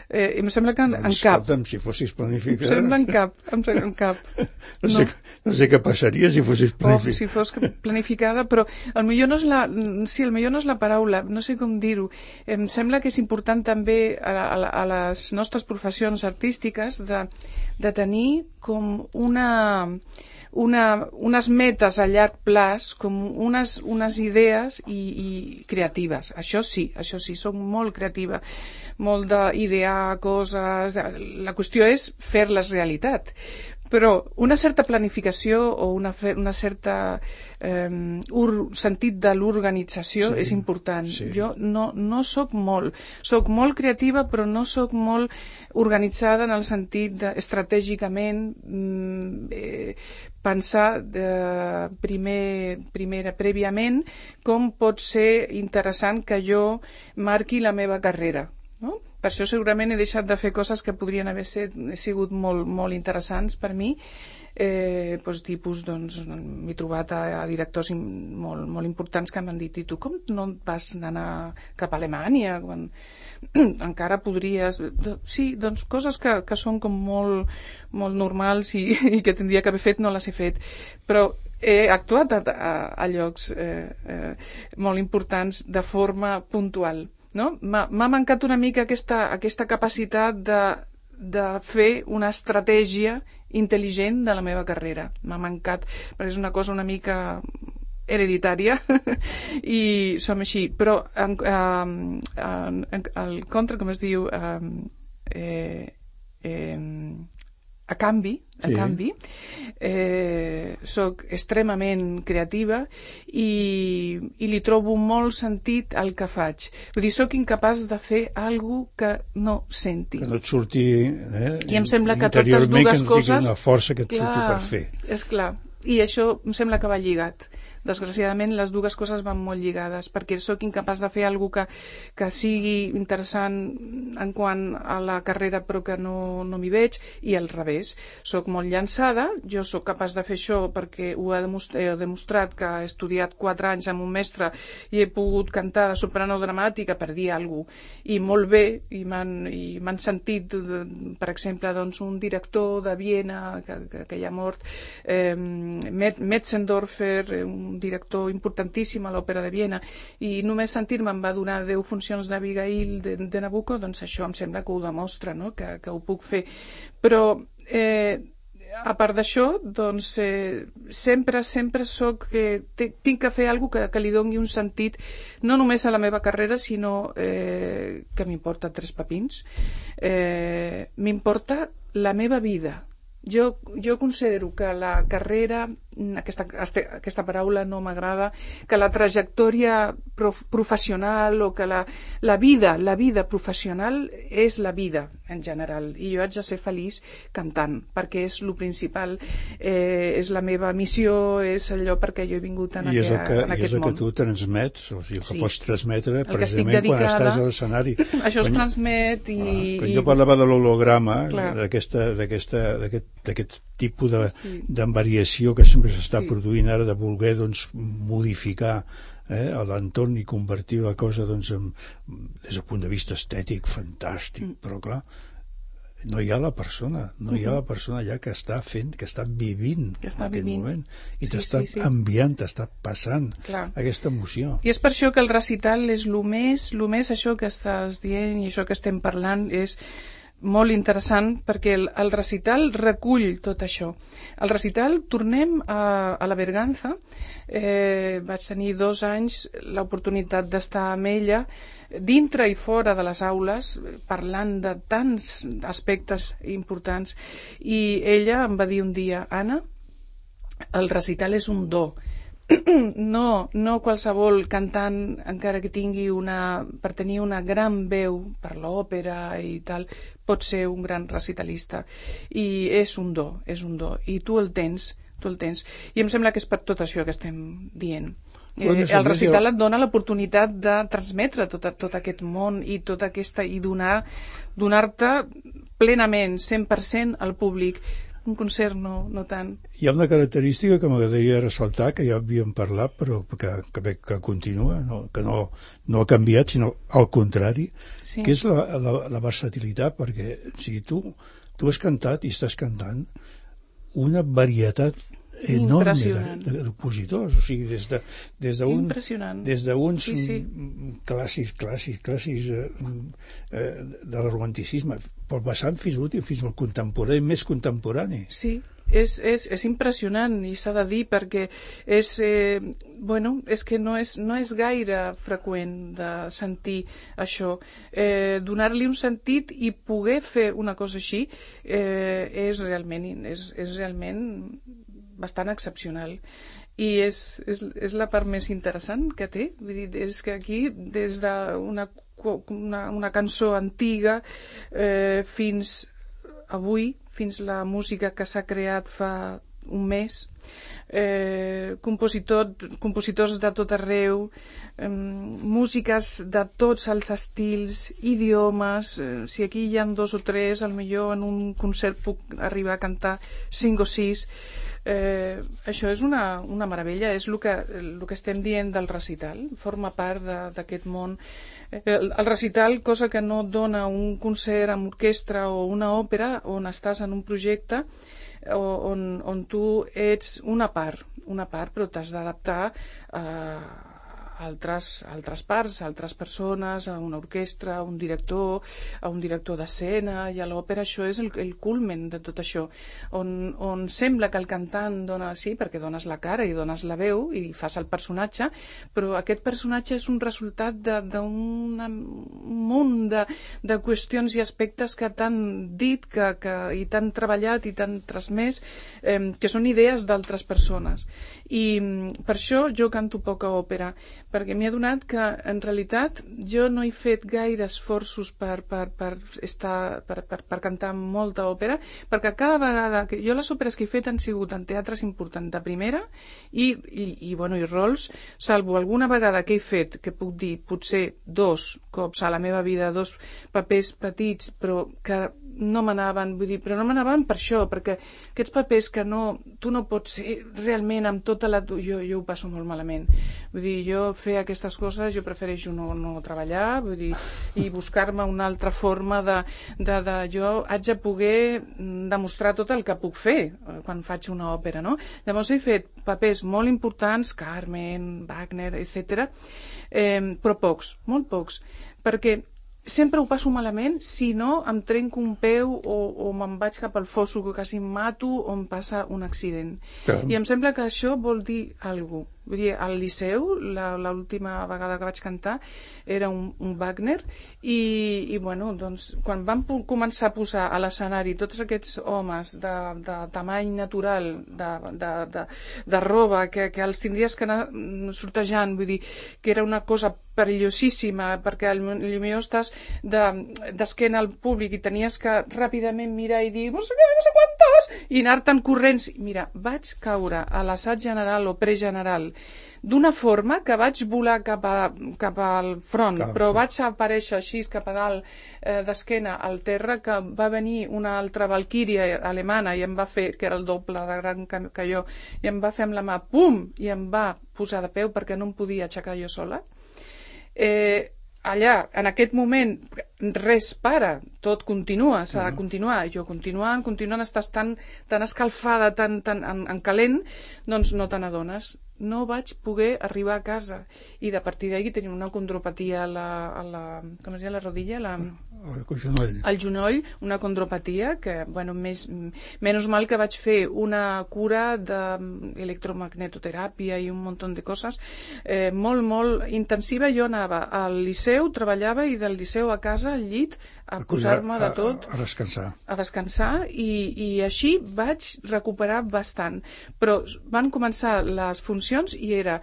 Eh, em sembla que en, en cap. Escolta'm, si fossis planificador... Em sembla en cap, em sembla en cap. No, no. Sé, no sé què passaria si fossis planificada. Oh, si fos planificada, però el millor no és la... Sí, el millor no és la paraula, no sé com dir-ho. Em sembla que és important també a, a, a les nostres professions artístiques de, de tenir com una... Una, unes metes a llarg plaç, com unes, unes idees i, i creatives. Això sí, això sí, soc molt creativa, molt d'idear coses. La qüestió és fer-les realitat. Però una certa planificació o una, una certa eh, ur, sentit de l'organització sí, és important. Sí. Jo no, no soc molt. Soc molt creativa, però no soc molt organitzada en el sentit de, estratègicament, eh, pensar de primer, primera, prèviament com pot ser interessant que jo marqui la meva carrera, no? Per això segurament he deixat de fer coses que podrien haver set, sigut molt, molt interessants per mi. Eh, doncs, tipus, doncs, m'he trobat a, a directors molt, molt importants que m'han dit, i tu com no vas anar cap a Alemanya quan encara podries... Sí, doncs coses que, que són com molt, molt normals i, i que tindria que haver fet no les he fet, però he actuat a, a, a llocs eh, eh, molt importants de forma puntual. No? M'ha mancat una mica aquesta, aquesta capacitat de, de fer una estratègia intel·ligent de la meva carrera. M'ha mancat, perquè és una cosa una mica hereditària i som així. Però en, en, en, en, el contra, com es diu, eh, eh, a canvi, a sí. canvi eh, soc extremament creativa i, i li trobo molt sentit al que faig. Vull dir, soc incapaç de fer alguna que no senti. Que no et surti eh, I em sembla que totes dues coses... una força que et clar, surti per fer. És clar. I això em sembla que va lligat. Desgraciadament les dues coses van molt lligades, perquè sóc incapaç de fer alguna que, que sigui interessant en quant a la carrera però que no, no m'hi veig, i al revés. Soc molt llançada, jo sóc capaç de fer això perquè ho he demostrat, he demostrat que he estudiat quatre anys amb un mestre i he pogut cantar de soprano dramàtica, per dir alguna cosa, i molt bé, i m'han sentit, per exemple, doncs, un director de Viena que, que, que ja ha mort, eh, Metzendorfer, un director importantíssim a l'Òpera de Viena, i només sentir-me em va donar deu funcions d'Abigail de, de Nabucco, doncs això em sembla que ho demostra, no? que, que ho puc fer. Però eh, a part d'això, doncs eh, sempre, sempre soc, eh, tinc que fer alguna que, que li doni un sentit no només a la meva carrera, sinó eh, que m'importa tres pepins, eh, m'importa la meva vida. Jo, jo considero que la carrera, aquesta, aquesta paraula no m'agrada, que la trajectòria prof, professional o que la, la vida, la vida professional és la vida en general, i jo haig de ser feliç cantant, perquè és el principal, eh, és la meva missió, és allò perquè jo he vingut en, I aqua, que, en aquest món. I és el que tu transmets, o sigui, el que sí. pots transmetre el precisament quan estàs a l'escenari. Això es quan, transmet i... Ah, quan jo parlava de l'holograma, d'aquest d'aquest tipus de, sí. de variació que sempre s'està sí. produint ara, de voler doncs, modificar eh, l'entorn i convertir la cosa doncs, en, des del punt de vista estètic fantàstic, mm. però clar, no hi ha la persona, no hi ha la persona allà que està fent, que està vivint que està en aquest vivint. moment, i sí, t'està sí, sí. enviant, t'està passant clar. Aquesta emoció. I és per això que el recital és el més, el més això que estàs dient i això que estem parlant és molt interessant, perquè el, el recital recull tot això. El recital, tornem a, a la Berganza, eh, vaig tenir dos anys l'oportunitat d'estar amb ella dintre i fora de les aules, parlant de tants aspectes importants, i ella em va dir un dia, Anna, el recital és un do. No, no qualsevol cantant, encara que tingui una, per tenir una gran veu per l'òpera i tal, pot ser un gran recitalista. I és un do, és un do. I tu el tens, tu el tens. I em sembla que és per tot això que estem dient. Eh, el recital et dona l'oportunitat de transmetre tot, tot aquest món i tota aquesta, i donar, donar-te plenament, cent per cent al públic. un concert no, no tant. Hi ha una característica que m'agradaria ressaltar, que ja havíem parlat, però que, que, que continua, no, que no, no ha canviat, sinó al contrari, sí. que és la, la, la versatilitat, perquè si tu, tu has cantat i estàs cantant una varietat enorme de, de, de compositors, o sigui, des de des d'un des d'uns sí, sí. clàssics, clàssics, clàssics eh, eh, del romanticisme, però passant fins l'últim, fins al contemporani, més contemporani. Sí, és, és, és impressionant, i s'ha de dir, perquè és, eh, bueno, és que no és, no és gaire freqüent de sentir això. Eh, donar-li un sentit i poder fer una cosa així eh, és realment, és, és realment bastant excepcional, i és, és, és la part més interessant que té. Vull dir, és que aquí, des d'una una, una cançó antiga eh, fins avui, fins la música que s'ha creat fa un mes, eh, compositor, compositors de tot arreu, eh, músiques de tots els estils, idiomes, eh, si aquí hi ha dos o tres, al millor en un concert puc arribar a cantar cinc o sis. Eh, això és una, una meravella, és el que, el que estem dient del recital, forma part d'aquest món. El, el recital, cosa que no dona un concert amb orquestra o una òpera, on estàs en un projecte on, on tu ets una part, una part, però t'has d'adaptar a altres, altres parts, a altres persones, a una orquestra, a un director, a un director d'escena, i a l'òpera això és el, el culmen de tot això, on, on sembla que el cantant dona, sí, perquè dones la cara i dones la veu i fas el personatge, però aquest personatge és un resultat d'un munt de, de qüestions i aspectes que t'han dit que, que, i t'han treballat i t'han transmès, eh, que són idees d'altres persones. I per això jo canto poca òpera, perquè m'he adonat que en realitat jo no he fet gaire esforços per, per, per, estar, per, per, per cantar molta òpera, perquè cada vegada que jo les òperes que he fet han sigut en teatres importants de primera i, i, i, bueno, i rols, salvo alguna vegada que he fet, que puc dir potser dos cops a la meva vida, dos papers petits, però que no m'anaven, vull dir, però no m'anaven per això, perquè aquests papers que no, tu no pots ser realment amb tota la... Jo, jo ho passo molt malament. Vull dir, jo fer aquestes coses, jo prefereixo no, no treballar, vull dir, i buscar-me una altra forma de, de, de... Jo haig de poder demostrar tot el que puc fer quan faig una òpera, no? Llavors he fet papers molt importants, Carmen, Wagner, etcètera, eh, però pocs, molt pocs, perquè sempre ho passo malament si no em trenco un peu o, o me'n vaig cap al fosso que quasi em mato o em passa un accident. Clar. I em sembla que això vol dir alguna cosa. Vull dir, al Liceu, l'última vegada que vaig cantar, era un, un Wagner, i, i bueno, doncs, quan vam començar a posar a l'escenari tots aquests homes de, de tamany natural, de, de, de, de roba, que, que els tindries que anar sortejant, vull dir, que era una cosa perillosíssima, perquè potser estàs d'esquena al públic i tenies que ràpidament mirar i dir no sé què, no sé quantes, i anar-te'n corrents. Mira, vaig caure a l'assaig general o pregeneral d'una forma que vaig volar cap, a, cap al front, Clar, però sí. vaig aparèixer així cap a dalt eh, d'esquena al terra, que va venir una altra valquíria alemana i em va fer, que era el doble de gran que jo, i em va fer amb la mà, pum, i em va posar de peu perquè no em podia aixecar jo sola. Eh, allà, en aquest moment, res para, tot continua, s'ha de continuar, jo continuant, continuant, estàs tan, tan escalfada, tan, tan en, en calent, doncs no te n'adones. No vaig poder arribar a casa, i de partir d'ahí tenia una condropatia a la, a la, com es diu, la rodilla, la... el genoll. El genoll, una condropatia que, bueno, més, menys mal que vaig fer una cura d'electromagnetoteràpia i un munt de coses eh, molt, molt intensiva. Jo anava al Liceu, treballava, i del Liceu a casa, al llit, a, a posar-me de tot, a, a descansar, a descansar i, i així vaig recuperar bastant. Però van començar les funcions i era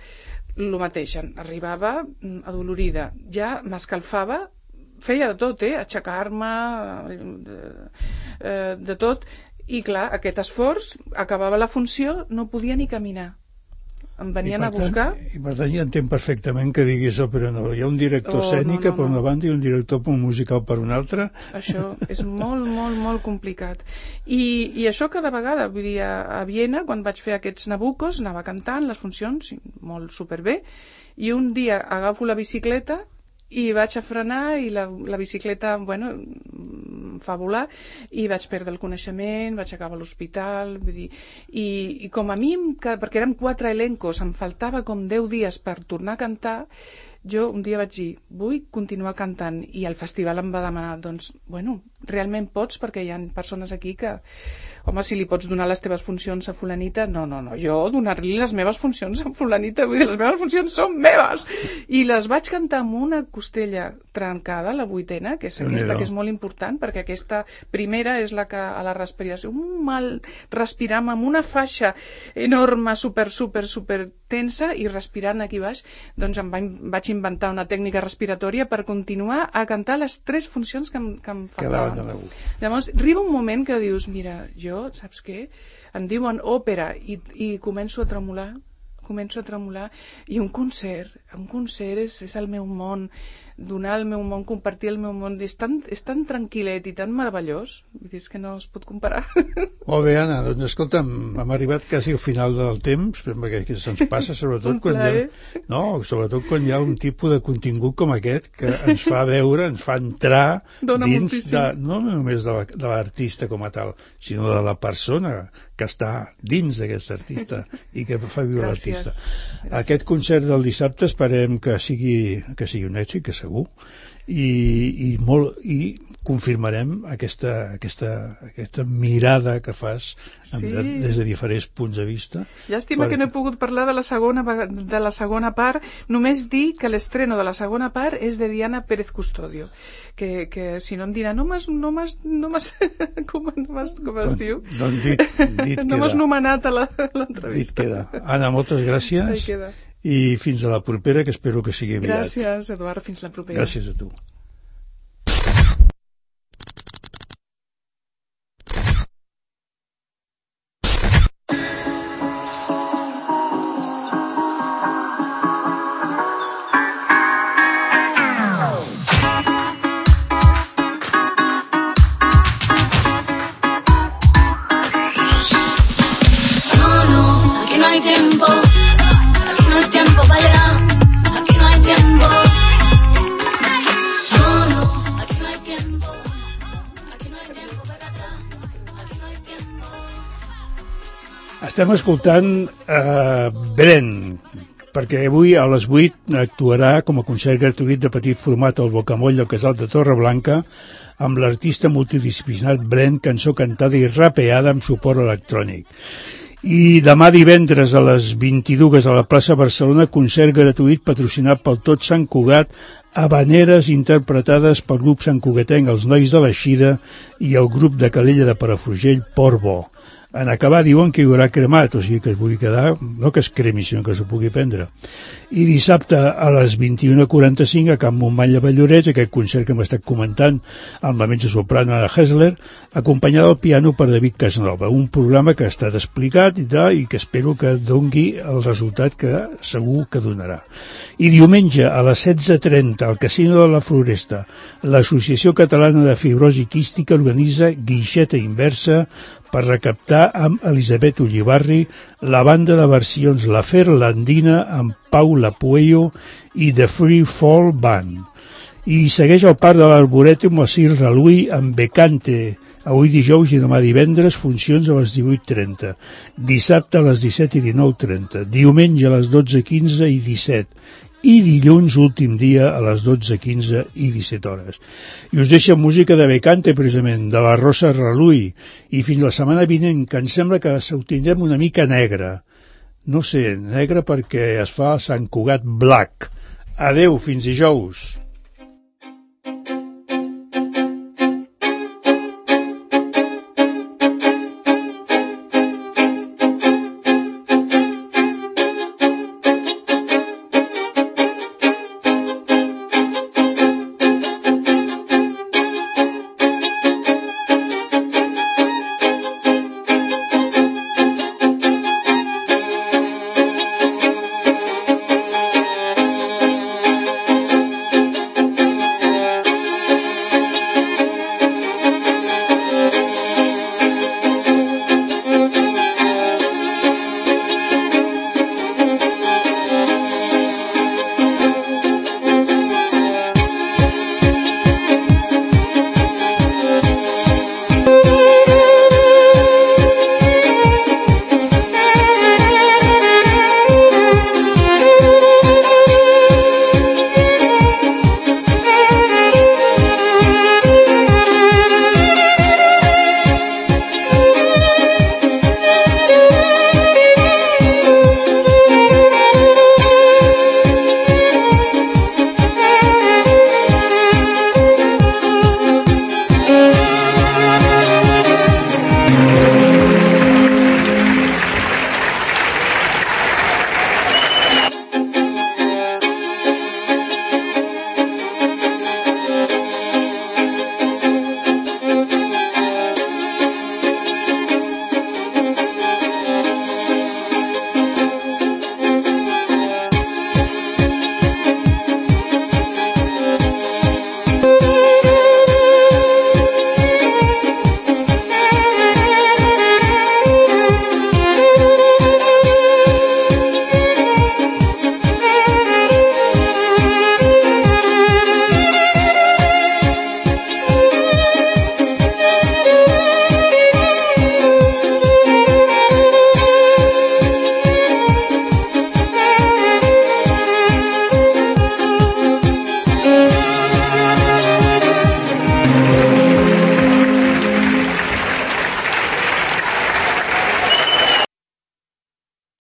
el mateix, arribava adolorida, ja m'escalfava, feia de tot, eh? Aixecar-me, eh, de tot, i clar, aquest esforç, acabava la funció, no podia ni caminar. em venien a buscar. I per tant ja entenc perfectament que diguis òpera no. Hi ha un director oh, escènica no, no, per no. una banda i un director musical per una altra. Això és molt, molt, molt complicat. I, i això cada vegada, vull dir, a, a Viena, quan vaig fer aquests Nabuccos, anava cantant les funcions, molt superbé, i un dia agafo la bicicleta i vaig a frenar i la, la bicicleta, bueno, fa volar i vaig perdre el coneixement, vaig acabar a l'hospital, vull dir, i, i com a mi, perquè érem quatre elencos, em faltava com deu dies per tornar a cantar, jo un dia vaig dir, vull continuar cantant, i el festival em va demanar, doncs, bueno, realment pots, perquè hi ha persones aquí que, home, si li pots donar les teves funcions a fulanita, no, no, no, jo donar-li les meves funcions a fulanita, vull dir, les meves funcions són meves, i les vaig cantar amb una costella trencada, la vuitena, que és aquesta que és molt important, perquè aquesta primera és la que a la respiració, un mal respirar amb una faixa enorme, super, super, super tensa, i respirant aquí baix, doncs em vaig inventar una tècnica respiratòria per continuar a cantar les tres funcions que em, que em faltaven. Llavors, arriba un moment que dius, mira, jo, saps què? Em diuen òpera i, i començo a tremolar, començo a tremolar, i un concert, un concert és, és el meu món, donar el meu món, compartir el meu món, és tan, és tan tranquil·let i tan meravellós, vull dir, és que no es pot comparar. Molt bé, Anna, doncs escolta'm, hem arribat quasi al final del temps, perquè se'ns passa, sobretot quan hi ha, no, sobretot quan hi ha un tipus de contingut com aquest que ens fa veure, ens fa entrar Dona dins moltíssim. de, no només de l'artista com a tal, sinó de la persona que està dins d'aquest artista i que fa viure l'artista. Aquest concert del dissabte esperem que sigui, que sigui un èxit, que segur, i, i, molt, i confirmarem aquesta, aquesta, aquesta mirada que fas sí. des de diferents punts de vista. Llàstima per... que no he pogut parlar de la segona, de la segona part, només dir que l'estreno de la segona part és de Diana Pérez Custodio, que, que si no em dirà no m'has no m'has no m'has com, no com es diu? Doncs dit, dit no m'has nomenat a l'entrevista. Dit queda. Anna, moltes gràcies i fins a la propera, que espero que sigui aviat. Gràcies, Eduard, fins la propera. Gràcies a tu. Estem escoltant uh, Bren, perquè avui a les vuit actuarà com a concert gratuït de petit format al Bocamoll del Casal de Torreblanca amb l'artista multidisciplinar Bren, cançó cantada i rapeada amb suport electrònic. I demà divendres a les vint-i-dues a la plaça Barcelona, concert gratuït patrocinat pel Tot Sant Cugat, habaneres interpretades pel grup santcugatenc Els Nois de l'Eixida i el grup de Calella de Palafrugell Portbó. En acabar diuen que hi haurà cremat, o sigui que es pugui quedar, no que es cremi, sinó que s'ho pugui prendre. I dissabte a les vint-i-una quaranta-cinc a Can Montmany de Vallorets, aquest concert que hem estat comentant amb la mezzosoprano Anna Hessler, acompanyada al piano per David Casanova, un programa que ha estat explicat i, tal, i que espero que dongui el resultat que segur que donarà. I diumenge a les setze trenta al Casino de la Floresta, l'Associació Catalana de Fibrosi Quística organitza Guixeta Inversa per recaptar amb Elisabet Ullibarri la banda de versions La Ferlandina amb Paula Puello i The Free Fall Band. I segueix el Parc de l'Arborètum a Cir Raluí amb Becante, avui dijous i demà divendres, funcions a les divuit trenta, dissabte a les disset i dinou trenta, diumenge a les dotze quinze i disset, i dilluns, últim dia, a les dotze quinze i disset hores. I us deixo música de Becante, precisament, de la Rosa Raluí, i fins la setmana vinent, que em sembla que ho tindrem una mica negra. No sé, negra perquè es fa Sant Cugat Black. Adeu, fins dijous.